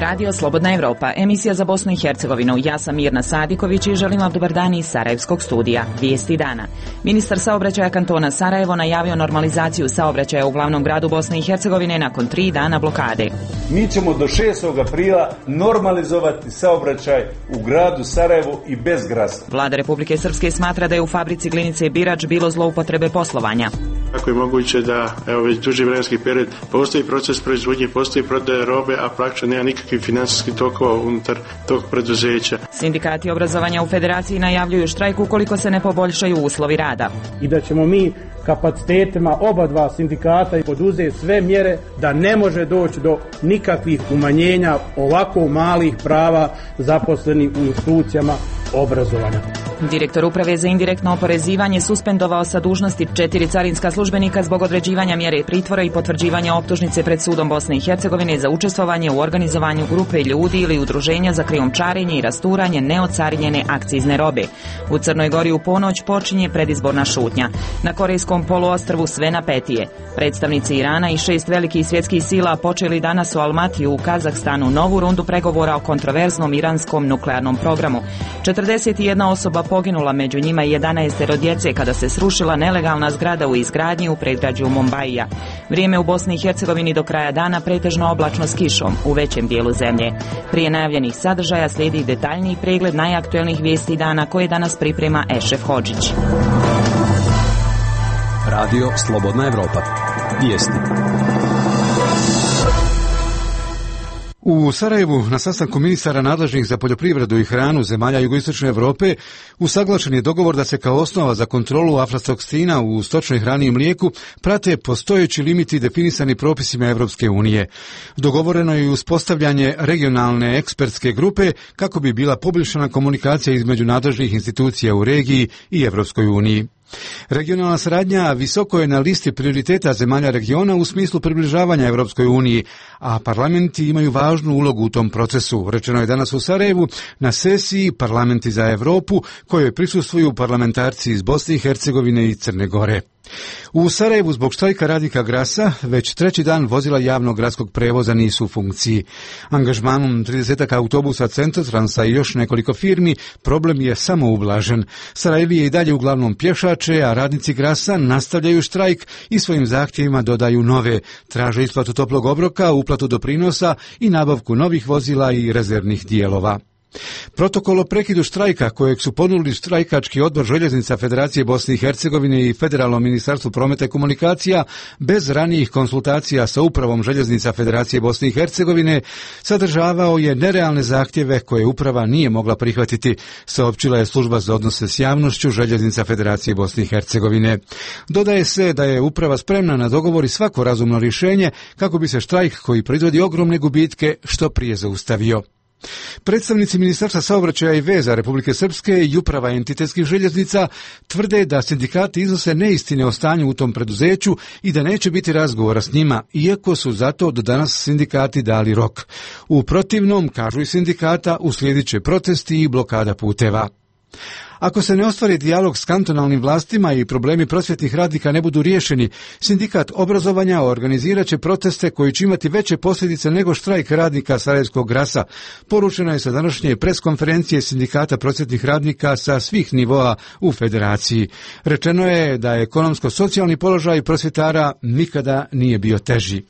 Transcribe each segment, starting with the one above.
Radio Slobodna Evropa, emisija za Bosnu i Hercegovinu. Ja sam Mirna Sadiković i želim vam dobar dan iz Sarajevskog studija. Vijesti dana. Ministar saobraćaja kantona Sarajevo najavio normalizaciju saobraćaja u glavnom gradu Bosne i Hercegovine nakon 3 dana blokade. Mi ćemo do 6. aprila normalizovati saobraćaj u gradu Sarajevu i bez grasa. Vlada Republike Srpske smatra da je u fabrici Glinice Birač bilo zloupotrebe poslovanja. Kako je moguće da već duži vremenski period postoji proces proizvodnje, postoji prodaje robe, a praktično nema nikakvih financijskih tokova unutar tog preduzeća. Sindikati obrazovanja u Federaciji najavljuju štrajk ukoliko se ne poboljšaju uslovi rada. I da ćemo mi kapacitetima oba dva sindikata i poduzeti sve mjere da ne može doći do nikakvih umanjenja ovako malih prava zaposlenih u institucijama obrazovanja. Direktor Uprave za indirektno oporezivanje suspendovao sa dužnosti 4 carinska službenika zbog određivanja mjere pritvora i potvrđivanja optužnice pred sudom Bosne i Hercegovine za učestvovanje u organizovanju grupe ljudi ili udruženja za krijumčarenje i rasturanje neocarinjene akcizne robe. U Crnoj Gori u ponoć počinje predizborna šutnja. Na Korejskom poluostrvu sve napetije. Predstavnici Irana i 6 velikih svjetskih sila počeli danas u Almatiju u Kazahstanu novu rundu pregovora o kontroverznom iranskom nuklearnom programu. 41 osoba poginula, među njima 11 djece kada se srušila nelegalna zgrada u izgradnji u predgrađu Mombaija. Vrijeme u Bosni i Hercegovini do kraja dana pretežno oblačno s kišom u većem dijelu zemlje. Prije najavljenih sadržaja slijedi detaljniji pregled najaktuelnijih vijesti dana koje danas priprema Ešef Hodžić. Radio Slobodna Evropa. Vijesti. U Sarajevu na sastanku ministara nadležnih za poljoprivredu i hranu zemalja jugoistočne Europe usaglašen je dogovor da se kao osnova za kontrolu aflatoksina u stočnoj hrani i mlijeku prate postojeći limiti definisani propisima Europske unije. Dogovoreno je i uspostavljanje regionalne ekspertske grupe kako bi bila poboljšana komunikacija između nadležnih institucija u regiji i Europskoj uniji. Regionalna saradnja visoko je na listi prioriteta zemalja regiona u smislu približavanja Europskoj uniji, a parlamenti imaju važnu ulogu u tom procesu. Rečeno je danas u Sarajevu na sesiji Parlamenti za Europu kojoj prisustvuju parlamentarci iz Bosne i Hercegovine i Crne Gore. U Sarajevu zbog štrajka radnika Grasa već 3. dan vozila javnog gradskog prevoza nisu u funkciji. Angažmanom 30 autobusa Centrotransa i još nekoliko firmi problem je samo ublažen. Sarajevi je i dalje uglavnom pješače, a radnici Grasa nastavljaju štrajk i svojim zahtjevima dodaju nove. Traže isplatu toplog obroka, uplatu doprinosa i nabavku novih vozila i rezervnih dijelova. Protokol o prekidu štrajka kojeg su ponudili štrajkački odbor željeznica Federacije Bosne i Hercegovine i Federalno ministarstvo prometa i komunikacija bez ranijih konsultacija sa upravom željeznica Federacije Bosne i Hercegovine sadržavao je nerealne zahtjeve koje uprava nije mogla prihvatiti, saopćila je služba za odnose s javnošću željeznica Federacije Bosne i Hercegovine. Dodaje se da je uprava spremna na dogovor i svako razumno rješenje kako bi se štrajk koji proizvodi ogromne gubitke što prije zaustavio. Predstavnici Ministarstva saobraćaja i veza Republike Srpske i uprava entitetskih željeznica tvrde da sindikati iznose neistine o stanju u tom preduzeću i da neće biti razgovora s njima, iako su zato do danas sindikati dali rok. U protivnom, kažu i sindikata, uslijedit će protesti i blokada puteva. Ako se ne ostvari dijalog s kantonalnim vlastima i problemi prosvjetnih radnika ne budu riješeni, sindikat obrazovanja organizirat će proteste koji će imati veće posljedice nego štrajk radnika Sarajevskog Grasa. Poručeno je sa današnje preskonferencije sindikata prosvjetnih radnika sa svih nivoa u federaciji. Rečeno je da ekonomsko-socijalni položaj prosvjetara nikada nije bio teži.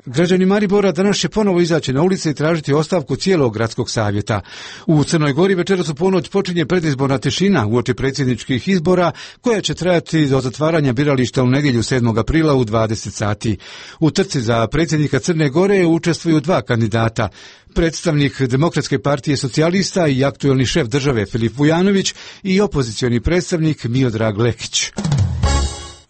Građani Maribora danas će ponovo izaći na ulice i tražiti ostavku cijelog gradskog savjeta. U Crnoj Gori večeras u ponoć počinje predizborna tišina uoči predsjedničkih izbora koja će trajati do zatvaranja birališta u nedjelju 7. aprila u 20 sati. U trci za predsjednika Crne Gore učestvuju 2 kandidata. Predstavnik Demokratske partije socijalista i aktuelni šef države Filip Vujanović i opozicioni predstavnik Miodrag Lekić.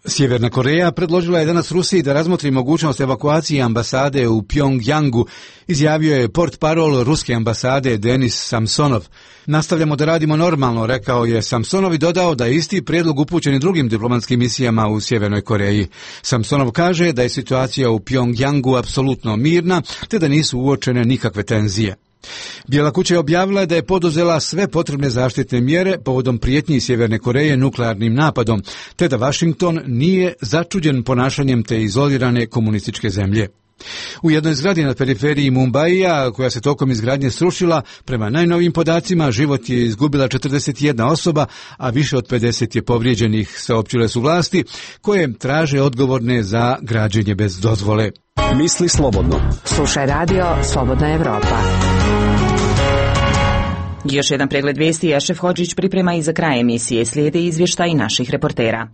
Sjeverna Koreja predložila je danas Rusiji da razmotri mogućnost evakuacije ambasade u Pjongjangu, izjavio je portparol ruske ambasade Denis Samsonov. Nastavljamo da radimo normalno, rekao je Samsonov i dodao da je isti prijedlog upućen i drugim diplomatskim misijama u Sjevernoj Koreji. Samsonov kaže da je situacija u Pjongjangu apsolutno mirna, te da nisu uočene nikakve tenzije. Bijela kuća je objavila da je poduzela sve potrebne zaštitne mjere povodom prijetnji Sjeverne Koreje nuklearnim napadom, te da Washington nije začuđen ponašanjem te izolirane komunističke zemlje. U jednoj zgradi na periferiji Mumbaija, koja se tokom izgradnje srušila, prema najnovijim podacima život je izgubila 41 osoba, a više od 50 je povrijeđenih, saopćile su vlasti, koje traže odgovorne za građenje bez dozvole. Misli slobodno. Slušaj radio Slobodna Evropa. Još jedan pregled vijesti Jašef Hodžić priprema i za kraj emisije. Slijede izvještaj naših reportera.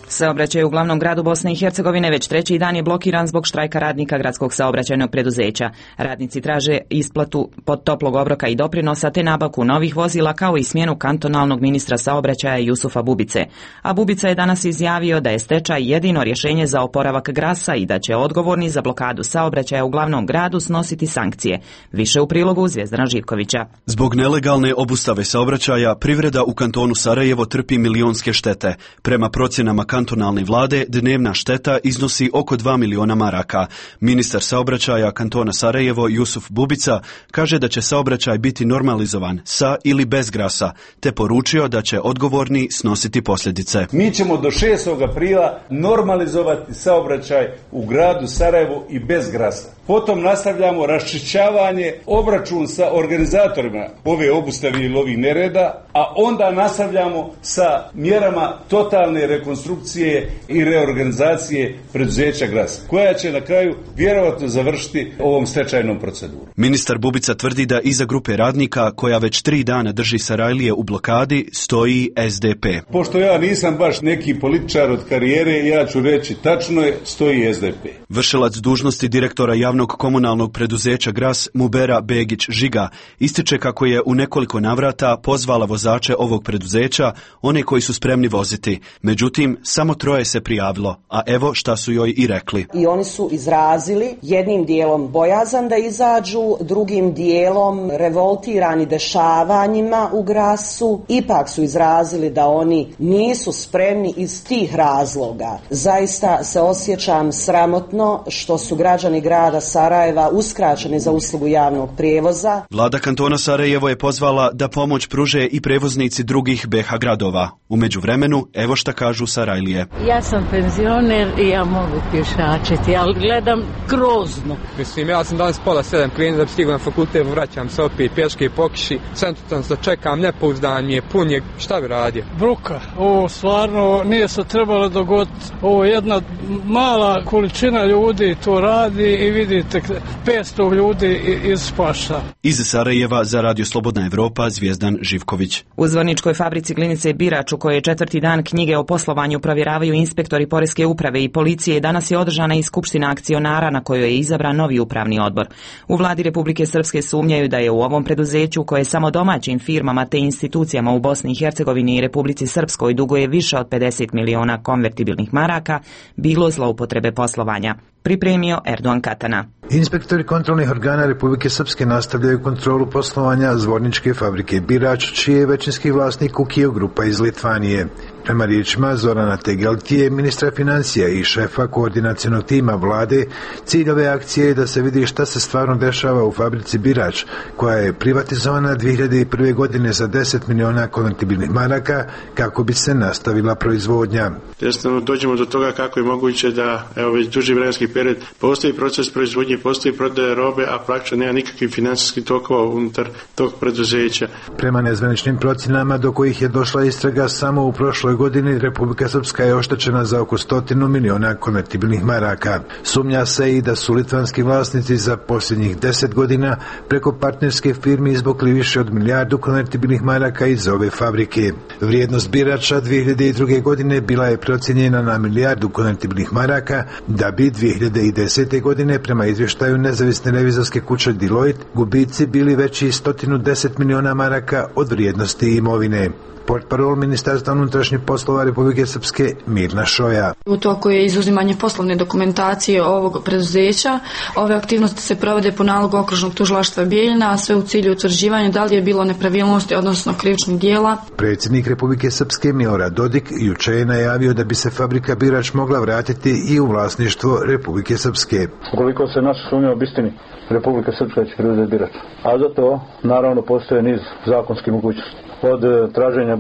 Saobraćaj u glavnom gradu Bosne i Hercegovine već treći dan je blokiran zbog štrajka radnika gradskog saobraćajnog preduzeća. Radnici traže isplatu pod toplog obroka i doprinosa te nabavku novih vozila kao i smjenu kantonalnog ministra saobraćaja Jusufa Bubice. A Bubica je danas izjavio da je stečaj jedino rješenje za oporavak Grasa i da će odgovorni za blokadu saobraćaja u glavnom gradu snositi sankcije. Više u prilogu Zvjezdana Živkovića. Zbog nelegalne obustave saobraćaja privreda u kantonu Sarajevo trpi milionske štete. Prema procjenama kantonalne vlade dnevna šteta iznosi oko 2 miliona maraka. Ministar saobraćaja kantona Sarajevo Jusuf Bubica kaže da će saobraćaj biti normalizovan sa ili bez Grasa, te poručio da će odgovorni snositi posljedice. Mi ćemo do 6. aprila normalizovati saobraćaj u gradu Sarajevu i bez Grasa. Potom nastavljamo raščišćavanje, obračun sa organizatorima ove obustave ili ovih nereda, a onda nastavljamo sa mjerama totalne rekonstrukcije i reorganizacije preduzeća Grasa, koja će na kraju vjerovatno završiti ovom stečajnom procedurom. Ministar Bubica tvrdi da iza grupe radnika, koja već 3 dana drži Sarajlije u blokadi, stoji SDP. Pošto ja nisam baš neki političar od karijere, ja ću reći tačno je, stoji SDP. Vršilac dužnosti direktora javnog komunalnog preduzeća Gras Mubera Begić Žiga ističe kako je u nekoliko navrata pozvala vozače ovog preduzeća, one koji su spremni voziti. Međutim, samo 3 se prijavilo, a evo šta su joj i rekli. I oni su izrazili jednim dijelom bojazan da izađu, drugim dijelom revoltirani dešavanjima u Grasu. Ipak su izrazili da oni nisu spremni iz tih razloga. Zaista se osjećam sramotno što su građani grada Sarajeva uskraćeni za uslugu javnog prijevoza. Vlada kantona Sarajevo je pozvala da pomoć pruže i prevoznici drugih BiH gradova. U međuvremenu, evo šta kažu Sarajlije. Ja sam penzioner i ja mogu pješačiti, ali gledam grozno. Mislim, ja sam danas pola 7 krenuo da bi stigao na fakultet, vraćam se opet pješke po kiši, sam da čekam, nepouzdan mi je, pun je, šta bi radio? Bruka, ovo stvarno nije se trebalo dogoditi, ovo je jedna mala količina ljudi to radi i vidite 500 ljudi ispašta. Iz Sarajeva za Radio Slobodna Evropa Zvjezdan Živković. U Zvorničkoj fabrici Glinice Birač, u kojoj je 4. dan knjige o poslovanju provjeravaju inspektori poreske uprave i policije, danas je održana i skupština akcionara na kojoj je izabran novi upravni odbor. U vladi Republike Srpske sumnjaju da je u ovom preduzeću, koje samo domaćim firmama te institucijama u Bosni i Hercegovini i Republici Srpskoj duguje više od 50 miliona konvertibilnih maraka, bilo zloupotrebe poslovanja. Pripremio Erdogan Katana. Inspektori kontrolnih organa Republike Srpske nastavljaju kontrolu poslovanja Zvorničke fabrike Birač, čiji je većinski vlasnik Ukio Grupa iz Litvanije. Prema riječima Zorana Tegeltije, ministra financija i šefa koordinacionog tima vlade, cilj ove akcije je da se vidi šta se stvarno dešava u fabrici Birač, koja je privatizovana 2001. godine za 10 miliona konvertibilnih maraka kako bi se nastavila proizvodnja. Jednostavno dođemo do toga kako je moguće da već duži vremenski period postoji proces proizvodnje, postoji prodaje robe, a praktično nema nikakvih financijskih tokova unutar tog preduzeća. Prema nezvaničnim procjenama do kojih je došla istraga, samo u prošloj godini Republika Srpska je oštećena za oko 100 miliona konvertibilnih maraka. Sumnja se i da su litvanski vlasnici za posljednjih 10 godina preko partnerske firme izvukli više od 1 milijardu konvertibilnih maraka iz ove fabrike. Vrijednost Birača 2002. godine bila je procijenjena na 1 milijardu konvertibilnih maraka, da bi 2010. godine prema izvještaju nezavisne revizorske kuće Deloitte gubici bili veći 110 miliona maraka od vrijednosti imovine. Portparol Ministarstva unutrašnjih poslova Republike Srpske Mirna Šoja. U toku je izuzimanje poslovne dokumentacije ovog preduzeća. Ove aktivnosti se provode po nalogu Okružnog tužilaštva Bijeljina, a sve u cilju utvrđivanja da li je bilo nepravilnosti, odnosno krivičnih djela. Predsjednik Republike Srpske Milorad Dodik juče je najavio da bi se fabrika Birač mogla vratiti i u vlasništvo Republike Srpske. Ukoliko se naša sumnja obistini, Republika Srpska će preuzeti Birač. A za to naravno postoje niz zakonskih mogućnosti. od traženja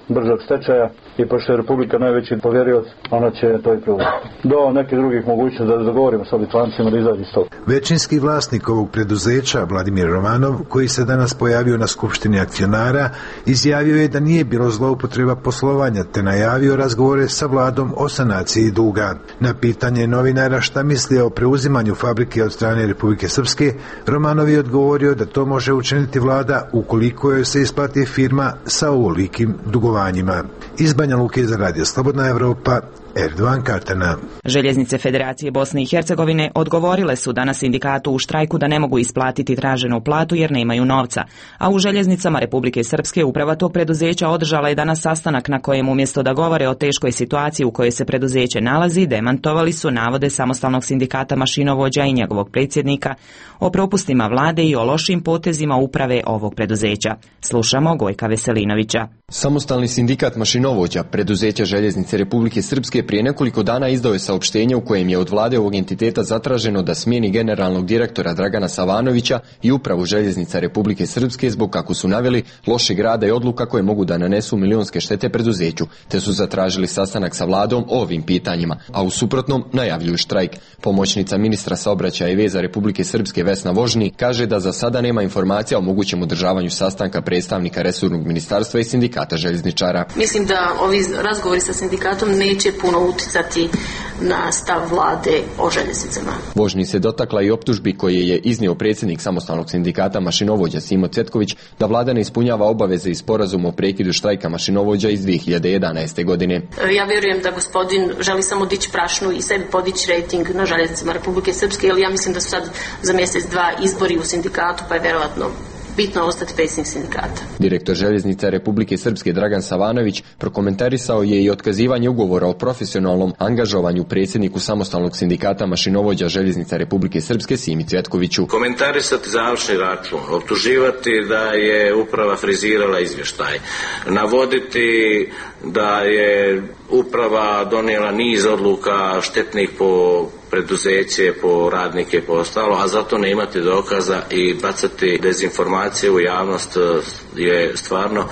bržeg stečaja i pošto je Republika najveći povjerilac, ona će to i provesti. Do nekih drugih mogućnosti da dogovorimo sa Litvancima da izađe iz toga. Većinski vlasnik ovog preduzeća, Vladimir Romanov, koji se danas pojavio na skupštini akcionara, izjavio je da nije bilo zloupotreba poslovanja te najavio razgovore sa vladom o sanaciji duga. Na pitanje novinara šta misli o preuzimanju fabrike od strane Republike Srpske, Romanov je odgovorio da to može učiniti vlada ukoliko joj se isplati firma sa ovolikim dugovanjima. Iz Banja Luke za Radio Slobodna Evropa, Erdovan Kartana. Željeznice Federacije Bosne i Hercegovine odgovorile su danas sindikatu u štrajku da ne mogu isplatiti traženu platu jer nemaju novca, a u Željeznicama Republike Srpske uprava tog preduzeća održala je danas sastanak na kojem umjesto da govore o teškoj situaciji u kojoj se preduzeće nalazi, demantovali su navode samostalnog sindikata mašinovođa i njegovog predsjednika o propustima vlade i o lošim potezima uprave ovog preduzeća. Slušamo Gojka Veselinovića. Samostalni sindikat mašinovođa preduzeća Željeznice Republike Srpske prije nekoliko dana izdao je saopštenje u kojem je od vlade ovog entiteta zatraženo da smijeni generalnog direktora Dragana Savanovića i upravu Željeznica Republike Srpske zbog, kako su naveli, lošeg rada i odluka koje mogu da nanesu milionske štete preduzeću, te su zatražili sastanak sa vladom o ovim pitanjima, a u suprotnom najavljuju štrajk. Pomoćnica ministra saobraćaja i veza Republike Srpske Vesna Vožni kaže da za sada nema informacija o mogućem održavanju sastanka predstavnika resornog ministarstva i sindikata željezničara. Mislim da ovi razgovori sa sindikatom neće puno uticati na stav vlade o željeznicama. Vožni se dotakla i optužbi koje je iznio predsjednik samostalnog sindikata mašinovođa Simo Cvetković da vlada ne ispunjava obaveze iz sporazuma o prekidu štrajka mašinovođa iz 2011. godine. Ja vjerujem da gospodin želi samo dići prašnu i sebi podići rejting na željeznicama Republike Srpske, jer ja mislim da su sad za mjesec dva izbori u sindikatu, pa je vjerojatno bitno ostati predsjednik sindikata. Direktor Željeznica Republike Srpske Dragan Savanović prokomentarisao je i otkazivanje ugovora o profesionalnom angažovanju predsjedniku samostalnog sindikata mašinovođa Željeznica Republike Srpske Simi Cvetkoviću. Komentarisati završni račun, optuživati da je uprava frizirala izvještaj, navoditi da je uprava donijela niz odluka štetnih po preduzeće, po radnike, po ostalo, a zato ne imati dokaza i bacati dezinformacije u javnost je stvarno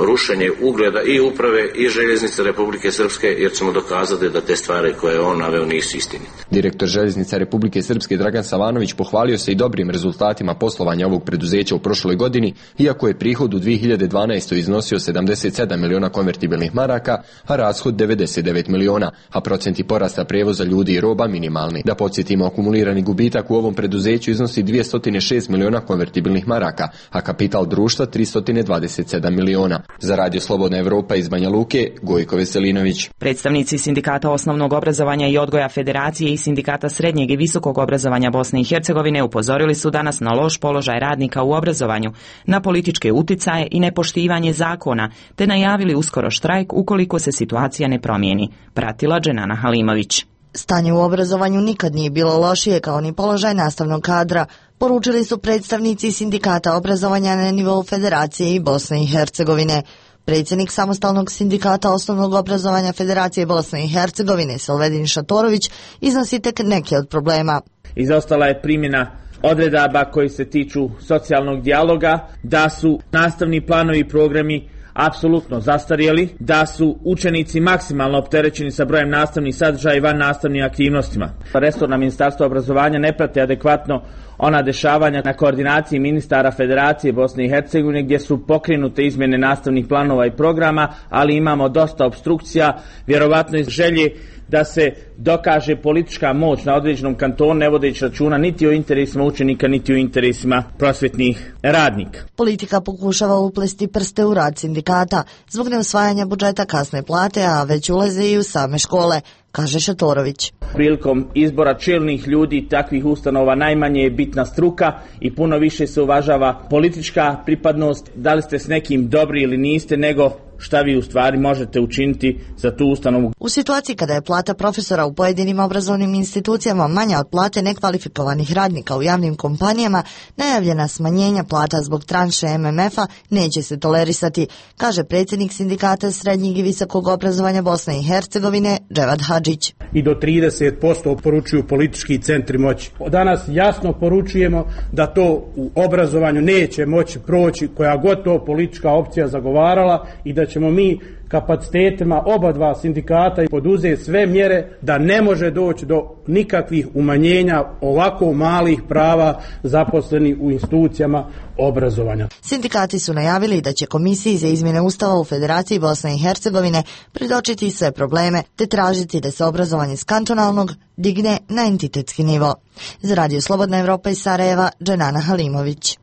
rušenje ugleda i uprave i Željeznice Republike Srpske, jer ćemo dokazati da te stvari koje on naveo nisu istinite. Direktor Željeznica Republike Srpske Dragan Savanović pohvalio se i dobrim rezultatima poslovanja ovog preduzeća u prošloj godini, iako je prihod u 2012. iznosio 77 miliona konvertibilnih maraka, a rashod 99 miliona, a procenti porasta prevoza ljudi i roba minimalni. Da podsjetimo, akumulirani gubitak u ovom preduzeću iznosi 206 miliona konvertibilnih maraka, a kapital društva 327 miliona. Za Radio Slobodna Evropa iz Banja Luke, Gojko Veselinović. Predstavnici sindikata osnovnog obrazovanja i odgoja Federacije i sindikata srednjeg i visokog obrazovanja Bosne i Hercegovine upozorili su danas na loš položaj radnika u obrazovanju, na političke uticaje i nepoštivanje zakona, te najavili uskoro štrajk ukoliko se situacija ne promijeni. Pratila Dženana Halimović. Stanje u obrazovanju nikad nije bilo lošije kao ni položaj nastavnog kadra, poručili su predstavnici sindikata obrazovanja na nivou Federacije i Bosne i Hercegovine. Predsjednik samostalnog sindikata osnovnog obrazovanja Federacije Bosne i Hercegovine Selvedin Šatorović iznosi tek neke od problema. Izostala je primjena odredaba koji se tiču socijalnog dijaloga, da su nastavni planovi i programi apsolutno zastarjeli, da su učenici maksimalno opterećeni sa brojem nastavnih sadržaja i van nastavnim aktivnostima. Resorna ministarstva obrazovanja ne prate adekvatno ona dešavanja na koordinaciji ministara Federacije Bosne i Hercegovine gdje su pokrenute izmjene nastavnih planova i programa, ali imamo dosta opstrukcija, vjerovatno iz želje da se dokaže politička moć na određenom kantonu, ne vodeći računa niti o interesima učenika, niti o interesima prosvjetnih radnika. Politika pokušava uplesti prste u rad sindikata zbog neusvajanja budžeta kasne plate, a već ulaze i u same škole, kaže Šatorović. Prilikom izbora čelnih ljudi takvih ustanova najmanje je bitna struka i puno više se uvažava politička pripadnost, da li ste s nekim dobri ili niste, nego šta vi u stvari možete učiniti za tu ustanovu. U situaciji kada je plata profesora u pojedinim obrazovnim institucijama manja od plate nekvalifikovanih radnika u javnim kompanijama, najavljena smanjenja plata zbog tranše MMF-a neće se tolerisati, kaže predsjednik Sindikata srednjeg i visokog obrazovanja Bosne i Hercegovine Dževad Hadžić. I do 30% poručuju politički centri moći. Danas jasno poručujemo da to u obrazovanju neće moći proći koja god to politička opcija zagovarala i da ćemo mi kapacitetima oba dva sindikata i poduzeti sve mjere da ne može doći do nikakvih umanjenja ovako malih prava zaposlenih u institucijama obrazovanja. Sindikati su najavili da će Komisiji za izmjene Ustava u Federaciji Bosne i Hercegovine predočiti sve probleme te tražiti da se obrazovanje s kantonalnog digne na entitetski nivo. Za Radio Slobodna Evropa iz Sarajeva, Dženana Halimović.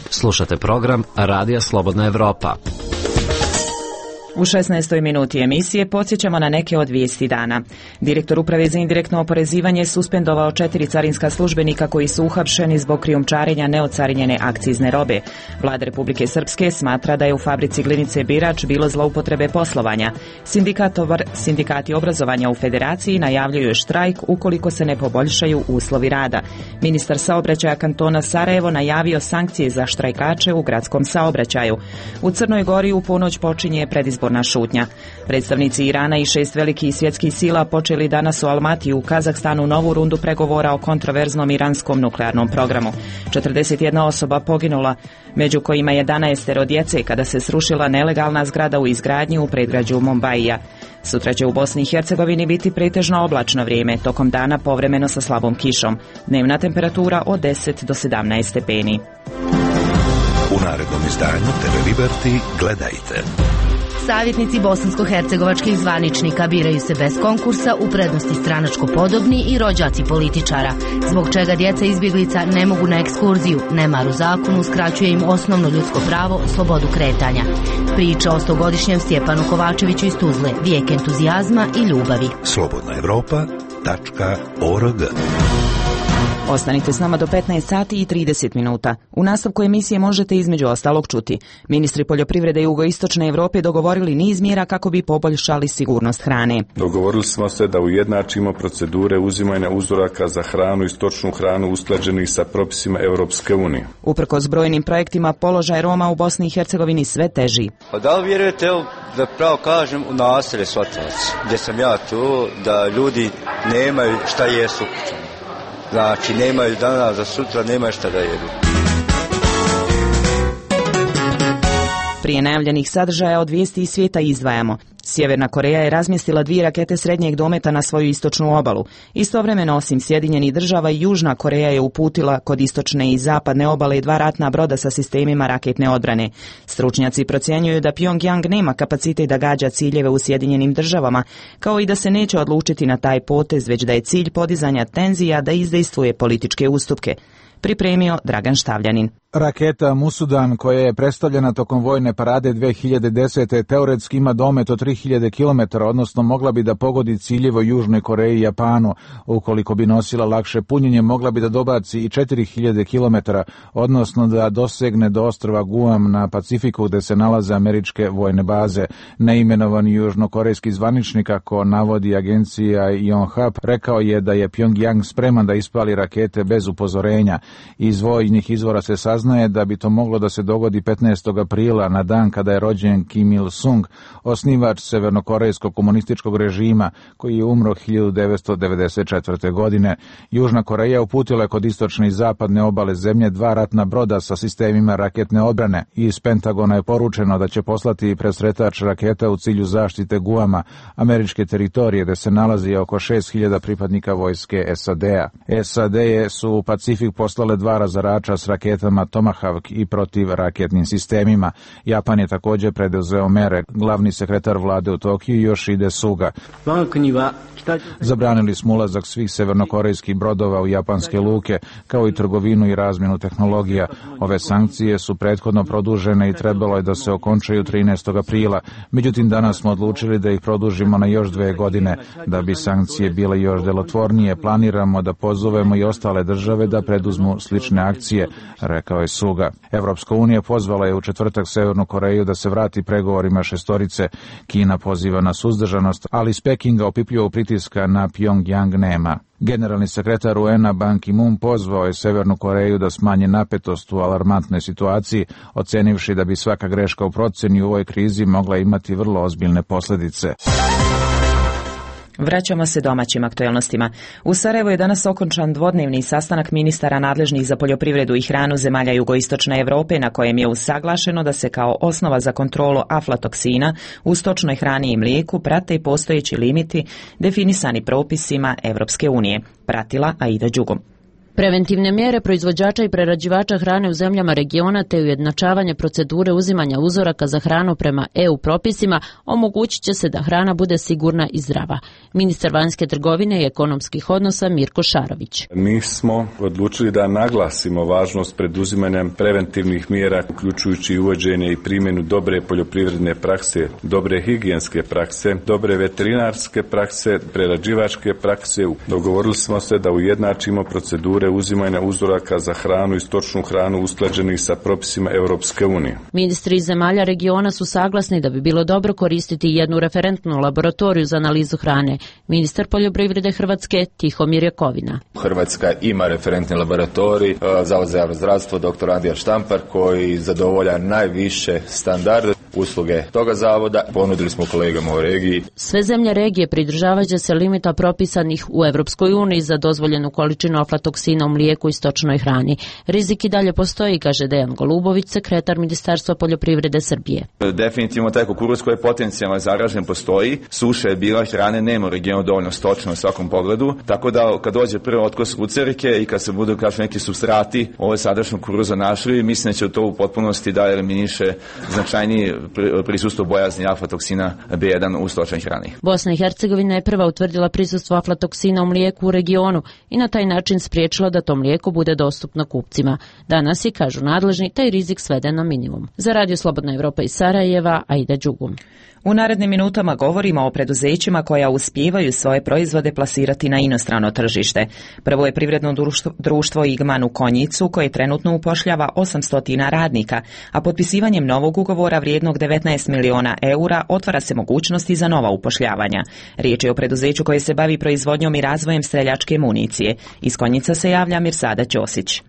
Slušate program Radija Slobodna Evropa. U 16. minuti emisije podsjećamo na neke od vijesti dana. Direktor Uprave za indirektno oporezivanje suspendovao 4 carinska službenika koji su uhapšeni zbog krijumčarenja neocarinjene akcizne robe. Vlada Republike Srpske smatra da je u fabrici Glinice Birač bilo zloupotrebe poslovanja. Sindikati obrazovanja u Federaciji najavljuju štrajk ukoliko se ne poboljšaju uslovi rada. Ministar saobraćaja kantona Sarajevo najavio sankcije za štrajkače u gradskom saobraćaju. U Crnoj Gori u ponoć počinje predizborna šutnja. Predstavnici Irana i 6 velikih svjetskih sila počeli danas u Almatiju u Kazahstanu novu rundu pregovora o kontroverznom iranskom nuklearnom programu. 41 osoba poginula, među kojima 11 djece kada se srušila nelegalna zgrada u izgradnji u predgrađu Mombaija. Sutra će u Bosni i Hercegovini biti pretežno oblačno vrijeme, tokom dana povremeno sa slabom kišom. Dnevna temperatura od 10 do 17 stepeni. U narednom izdanju TV Liberty gledajte. Savjetnici bosansko-hercegovačkih zvaničnika biraju se bez konkursa, u prednosti stranačko podobni i rođaci političara, zbog čega djeca izbjeglica ne mogu na ekskurziju. Nemar u zakonu uskraćuje im osnovno ljudsko pravo, slobodu kretanja. Priča o 100-godišnjem Stjepanu Kovačeviću iz Tuzle, vijek entuzijazma i ljubavi. slobodnaevropa.org. Ostanite s nama do 15 sati i 30 minuta. U nastavku emisije možete između ostalog čuti. Ministri poljoprivrede jugoistočne Europe dogovorili niz mjera kako bi poboljšali sigurnost hrane. Dogovorili smo se da ujednačimo procedure uzimanja uzoraka za hranu i stočnu hranu usklađenih sa propisima Europske unije. Uprkos brojnim projektima, položaj Roma u Bosni i Hercegovini sve teži. Pa da li vjerujete, da pravo kažem, u naselje Svatovac, gdje sam ja tu, da ljudi nemaju šta jesu. Znači, nemaju danas za sutra, nemaju šta da jedu. Prije najavljenih sadržaja od vijesti iz svijeta izdvajamo. Sjeverna Koreja je razmjestila 2 rakete srednjeg dometa na svoju istočnu obalu. Istovremeno, osim Sjedinjenih država, i Južna Koreja je uputila kod istočne i zapadne obale 2 ratna broda sa sistemima raketne odbrane. Stručnjaci procjenjuju da Pyongyang nema kapacitet da gađa ciljeve u Sjedinjenim državama, kao i da se neće odlučiti na taj potez, već da je cilj podizanja tenzija da izdejstvuje političke ustupke. Pripremio Dragan Štavljanin. Raketa Musudan, koja je predstavljena tokom vojne parade 2010. teoretski ima domet od 3000 km, odnosno mogla bi da pogodi ciljeve Južnoj Koreji i Japanu. Ukoliko bi nosila lakše punjenje, mogla bi da dobaci i 4000 km, odnosno da dosegne do ostrva Guam na Pacifiku gde se nalaze američke vojne baze. Neimenovani južnokorejski zvaničnik, kako navodi agencija Yonhap, rekao je da je Pyongyang spreman da ispali rakete bez upozorenja. Iz vojnih izvora se saznaje da bi to moglo da se dogodi 15. aprila, na dan kada je rođen Kim Il-sung, osnivač severnokorejskog komunističkog režima, koji je umro 1994. godine. Južna Koreja uputila je kod istočne i zapadne obale zemlje 2 ratna broda sa sistemima raketne odbrane. Iz Pentagona je poručeno da će poslati presretač raketa u cilju zaštite Guama, američke teritorije, gde se nalazi oko 6000 pripadnika vojske SAD-a. SAD su u Pacifik poslale 2 razarača s raketama Tomahawk i protivraketnim sistemima. Japan je također preduzeo mere. Glavni sekretar vlade u Tokiju Yoshide Suga. Zabranili smo ulazak svih severnokorejskih brodova u japanske luke, kao i trgovinu i razmjenu tehnologija. Ove sankcije su prethodno produžene i trebalo je da se okončaju 13. aprila. Međutim, danas smo odlučili da ih produžimo na još 2 godine. Da bi sankcije bile još delotvornije, planiramo da pozovemo i ostale države da preduzmu slične akcije, rekao je Suga. Evropska unija pozvala je u četvrtak Severnu Koreju da se vrati pregovorima šestorice. Kina poziva na suzdržanost, ali iz Pekinga opipljivog pritiska na Pyongyang nema. Generalni sekretar UN-a Ban Ki-moon pozvao je Severnu Koreju da smanji napetost u alarmantnoj situaciji, ocenivši da bi svaka greška u proceni u ovoj krizi mogla imati vrlo ozbiljne posljedice. Vraćamo se domaćim aktuelnostima. U Sarajevu je danas okončan dvodnevni sastanak ministara nadležnih za poljoprivredu i hranu zemalja jugoistočne Europe, na kojem je usaglašeno da se kao osnova za kontrolu aflatoksina u stočnoj hrani i mlijeku prate i postojeći limiti definisani propisima Europske unije. Pratila Aida Đugom. Preventivne mjere proizvođača i prerađivača hrane u zemljama regiona te ujednačavanje procedure uzimanja uzoraka za hranu prema EU propisima omogućit će se da hrana bude sigurna i zdrava. Ministar vanjske trgovine i ekonomskih odnosa Mirko Šarović. Mi smo odlučili da naglasimo važnost preduzimanja preventivnih mjera, uključujući uvođenje i primjenu dobre poljoprivredne prakse, dobre higijenske prakse, dobre veterinarske prakse, prerađivačke prakse. Dogovorili smo se da ujednačimo procedure uzimanja uzoraka za hranu i stočnu hranu usklađenih sa propisima Europske unije. Ministri iz zemalja regiona su saglasni da bi bilo dobro koristiti jednu referentnu laboratoriju za analizu hrane. Ministar poljoprivrede Hrvatske Tihomir Jakovina. Hrvatska ima referentni laboratorij, Zavod za javno zdravstvo dr. Andrija Štampar, koji zadovolja najviše standarde usluge toga zavoda. Ponudili smo kolegama u regiji. Sve zemlje regije pridržavat će se limita propisanih u Europskoj uniji za dozvoljenu količinu aflatoksina u mlijeku i stočnoj hrani. Rizik i dalje postoji, kaže Dejan Golubović, sekretar Ministarstva poljoprivrede Srbije. Definitivno taj kukuruz koji je potencijalno zaražen postoji. Suša je bila, hrane nema u regionu dovoljno stočno u svakom pogledu, tako da kad dođe prvi otkos lucerike i kad se budu neki supstrati ove sadašnjeg kukuruza našli, mislim da će to u potpunosti da eliminiše značajniji prisustvo bojazni aflatoksina B1 u stočnoj hrani. Bosna i Hercegovina je prva utvrdila prisustvo aflatoksina u mlijeku u regionu i na taj način spriječila da to mlijeko bude dostupno kupcima. Danas je, kažu nadležni, taj rizik sveden na minimum. Za Radio Slobodna Evropa iz Sarajeva, Aida Đugum. U narednim minutama govorimo o preduzećima koja uspijevaju svoje proizvode plasirati na inostrano tržište. Prvo je privredno društvo Igman u Konjicu, koje trenutno upošljava 800 radnika, a potpisivanjem novog ugovora vrijednog 19 miliona eura otvara se mogućnosti za nova upošljavanja. Riječ je o preduzeću koje se bavi proizvodnjom i razvojem streljačke municije. Iz Konjica se javlja Mirsada Ćosić.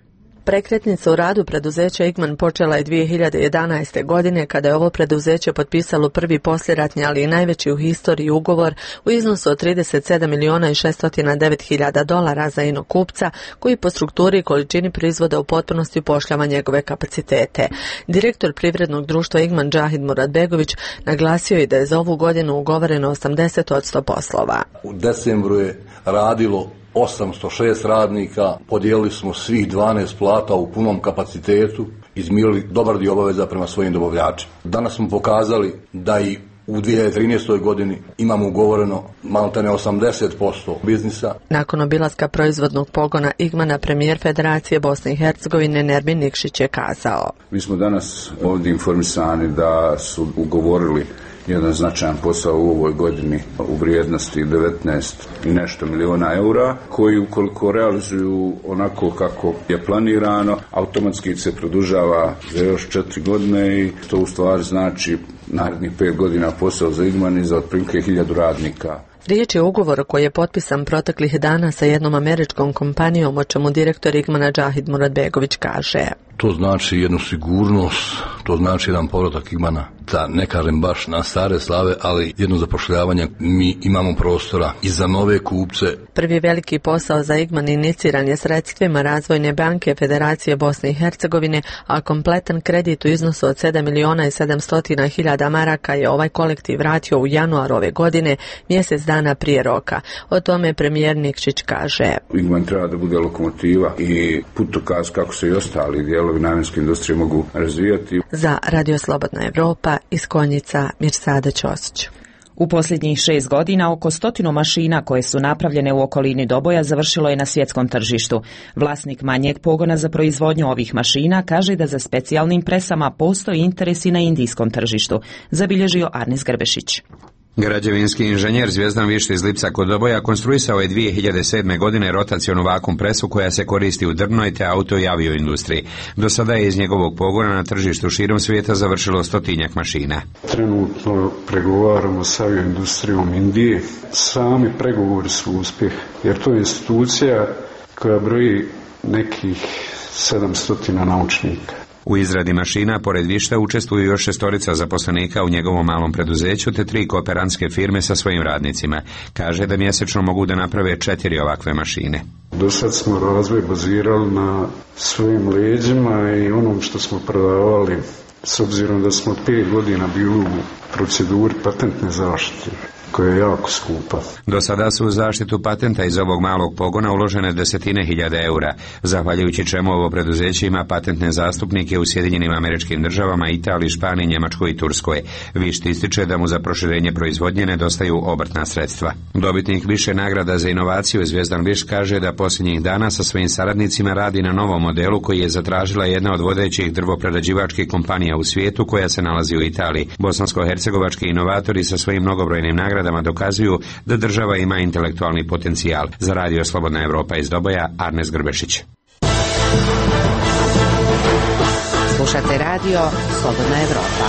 Prekretnica u radu preduzeća Igman počela je 2011. godine kada je ovo preduzeće potpisalo prvi poslijeratni, ali i najveći u historiji ugovor u iznosu od 37 miliona i 609 hiljada dolara za inokupca koji po strukturi i količini proizvoda u potpunosti upošljava njegove kapacitete. Direktor privrednog društva Igman Džahid Muradbegović naglasio je da je za ovu godinu ugovoreno 80% poslova. U decembru je radilo 806 radnika, podijelili smo svih 12 plata u punom kapacitetu, izmirili dobar dio obaveza prema svojim dobavljačima. Danas smo pokazali da i u 2013. godini imamo ugovoreno maltene 80% biznisa. Nakon obilaska proizvodnog pogona Igmana, premijer Federacije Bosne i Hercegovine Nerbin Nikšić je kazao: Mi smo danas ovdje informisani da su ugovorili jedan značajan posao u ovoj godini u vrijednosti 19 i nešto miliona eura, koji ukoliko realizuju onako kako je planirano, automatski se produžava za još 4 godine i to u stvari znači narednih 5 godina posao za Igman i za otprilike 1000 radnika. Riječ je o ugovoru koji je potpisan proteklih dana sa jednom američkom kompanijom, o čemu direktor Igmana Džahid Muradbegović kaže: To znači jednu sigurnost, to znači jedan povratak Igmana, da ne kažem baš na stare slave, ali jedno zapošljavanje. Mi imamo prostora i za nove kupce. Prvi veliki posao za Igman iniciran je sredstvima Razvojne banke Federacije Bosne i Hercegovine, a kompletan kredit u iznosu od 7 miliona i 700 hiljada maraka je ovaj kolektiv vratio u januaru ove godine, mjesec dana prije roka. O tome premijer Nikšić kaže: Igman treba da bude lokomotiva i putokaz kako se i ostali dijelovi namjenske industrije mogu razvijati. Za Radio Slobodna Evropa iz Konjica, Mirsada Ćosić. U posljednjih 6 godina oko 100 mašina koje su napravljene u okolini Doboja završilo je na svjetskom tržištu. Vlasnik manjeg pogona za proizvodnju ovih mašina kaže da za specijalnim presama postoji interes i na indijskom tržištu, zabilježio Arnis Grbešić. Građevinski inženjer Zvijezdan Vište iz Lipca kod Doboja konstruisao je 2007. godine rotacionu vakum presu koja se koristi u drvnoj te auto i avio industriji. Do sada je iz njegovog pogona na tržištu širom svijeta završilo 100-tinjak mašina. Trenutno pregovaramo sa avioindustrijom Indije. Sami pregovori su uspjeh, jer to je institucija koja broji nekih 700 naučnika. U izradi mašina, pored Višta, učestvuju još 6 zaposlenika u njegovom malom preduzeću te 3 kooperantske firme sa svojim radnicima. Kaže da mjesečno mogu da naprave 4 ovakve mašine. Do sad smo razvoj bazirali na svojim leđima i onom što smo prodavali, s obzirom da smo 5 godina bili u proceduri patentne zaštite, koja je jako skupa. Do sada su u zaštitu patenta iz ovog malog pogona uložene desetine hiljada eura, zahvaljujući čemu ovo preduzeće ima patentne zastupnike u Sjedinjenim Američkim Državama, Italiji, Španiji, Njemačkoj i Turskoj. Višt ističe da mu za proširenje proizvodnje nedostaju obrtna sredstva. Dobitnik više nagrada za inovaciju Zvijezdan Višt kaže da posljednjih dana sa svojim saradnicima radi na novom modelu koji je zatražila jedna od vodećih drvoprerađivačkih kompanija u svijetu koja se nalazi u Italiji. Bosansko-hercegovački inovatori sa svojim mnogobrojnim nagradama dokazuju da država ima intelektualni potencijal. Za Radio Slobodna Evropa iz Doboja, Arnes Grbešić. Slušate radio Slobodna Evropa.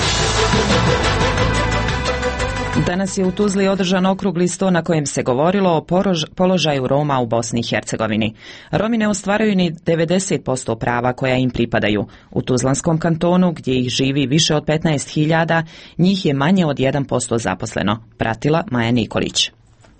Danas je u Tuzli održan okrugli sto na kojem se govorilo o položaju Roma u Bosni i Hercegovini. Romi ne ostvaruju ni 90% prava koja im pripadaju. U Tuzlanskom kantonu, gdje ih živi više od 15.000, njih je manje od 1% zaposleno. Pratila Maja Nikolić.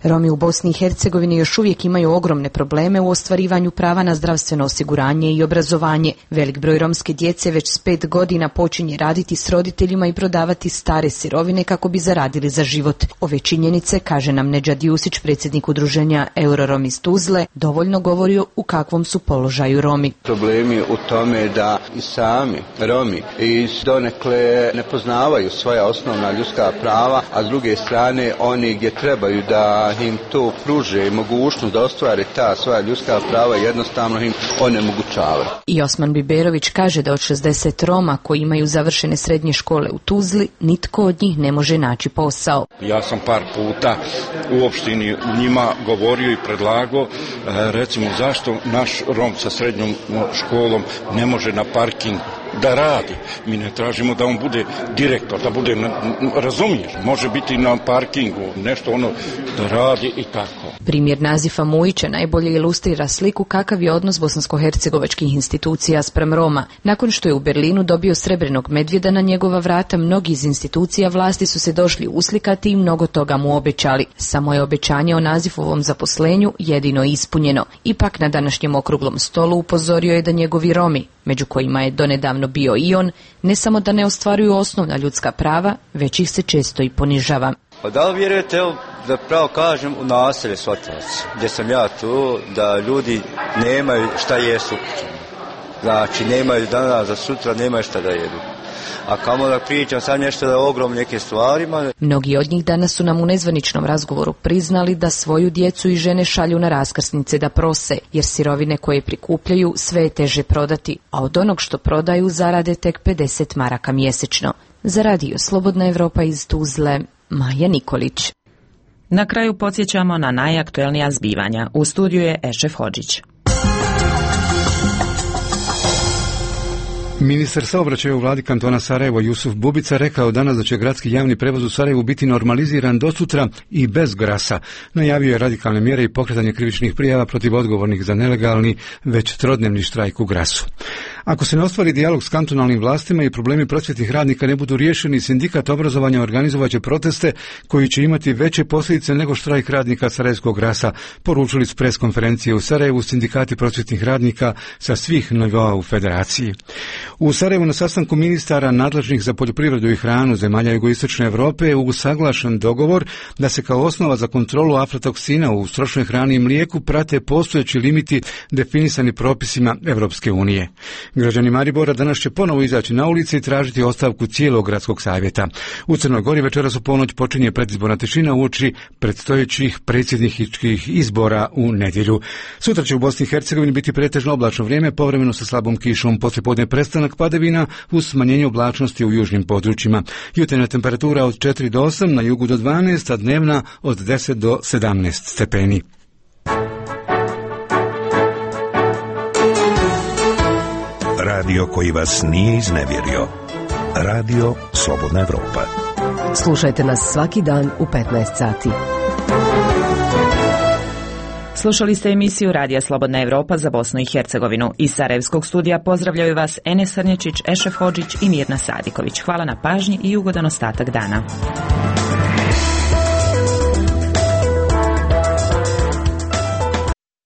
Romi u Bosni i Hercegovini još uvijek imaju ogromne probleme u ostvarivanju prava na zdravstveno osiguranje i obrazovanje. Velik broj romske djece već s 5 godina počinje raditi s roditeljima i prodavati stare sirovine kako bi zaradili za život. Ove činjenice, kaže nam Nedžad Jusić, predsjednik udruženja Eurorom iz Tuzle, dovoljno govori u kakvom su položaju Romi. Problem je u tome da i sami Romi i donekle ne poznavaju svoja osnovna ljudska prava, a s druge strane oni gdje trebaju da im to pruže mogućnost da ostvare ta svoja ljudska prava, jednostavno im onemogućavaju. I Osman Biberović kaže da od 60 Roma koji imaju završene srednje škole u Tuzli, nitko od njih ne može naći posao. Ja sam par puta u opštini njima govorio i predlagao, recimo zašto naš Rom sa srednjom školom ne može na parking da radi. Mi ne tražimo da on bude direktor, da bude, razumiješ, može biti na parkingu, nešto ono da radi i tako. Primjer Nazifa Mujića najbolje ilustrira sliku kakav je odnos bosansko-hercegovačkih institucija sprem Roma. Nakon što je u Berlinu dobio srebrnog medvjeda na njegova vrata, mnogi iz institucija vlasti su se došli uslikati i mnogo toga mu obećali. Samo je obećanje o Nazifovom zaposlenju jedino ispunjeno. Ipak na današnjem okruglom stolu upozorio je da njegovi Romi, među kojima je donedavno bio i on, ne samo da ne ostvaruju osnovna ljudska prava, već ih se često i ponižava. Pa da li vjerujete, da pravo kažem, u naselje Svotovac, gdje sam ja tu, da ljudi nemaju šta jesu. Znači, nemaju danas za sutra, nemaju šta da jedu. A kamo da pričam sad nešto da ogromne neke stvarima. Mnogi od njih danas su nam u nezvaničnom razgovoru priznali da svoju djecu i žene šalju na raskrsnice da prose, jer sirovine koje prikupljaju sve je teže prodati, a od onog što prodaju zarade tek 50 maraka mjesečno. Za Radio Slobodna Evropa iz Tuzle, Maja Nikolić. Na kraju podsjećamo na najaktuelnija zbivanja. U studiju je Ešef Hodžić. Ministar saobraćaja u vladi kantona Sarajevo Jusuf Bubica rekao danas da će gradski javni prevoz u Sarajevu biti normaliziran do sutra i bez grasa. Najavio je radikalne mjere i pokretanje krivičnih prijava protiv odgovornih za nelegalni već trodnevni štrajk u Grasu. Ako se ne ostvari dijalog s kantonalnim vlastima i problemi prosvjetnih radnika ne budu riješeni, sindikat obrazovanja organizovaće proteste koji će imati veće posljedice nego štrajk radnika Sarajevskog Grasa, poručili s pres konferencije u Sarajevu sindikati prosvjetnih radnika sa svih nivoa u federaciji. U Sarajevu na sastanku ministara nadležnih za poljoprivredu i hranu zemalja jugoistočne Europe je usaglašen dogovor da se kao osnova za kontrolu aflatoksina u stočnoj hrani i mlijeku prate postojeći limiti definisani propisima Europske unije. Građani Maribora danas će ponovo izaći na ulici i tražiti ostavku cijelog gradskog savjeta. U Crnoj Gori večeras u ponoć počinje predizborna tišina uoči predstojećih predsjedničkih izbora u nedjelju. Sutra će u Bosni i Hercegovini biti pretežno oblačno vrijeme, povremeno sa slabom kišom, poslijepodne prestanak padavina uz smanjenje oblačnosti u južnim područjima. Jutarnja temperatura od 4 do 8, na jugu do 12, a dnevna od 10 do 17 stepeni. Radio koji vas nije iznevjerio. Radio Slobodna Evropa. Slušajte nas svaki dan u 15 sati. Slušali ste emisiju Radija Slobodna Evropa za Bosnu i Hercegovinu. Iz Sarajevskog studija pozdravljaju vas Enes Srnječić, Ešef Hodžić i Mirna Sadiković. Hvala na pažnji i ugodan ostatak dana.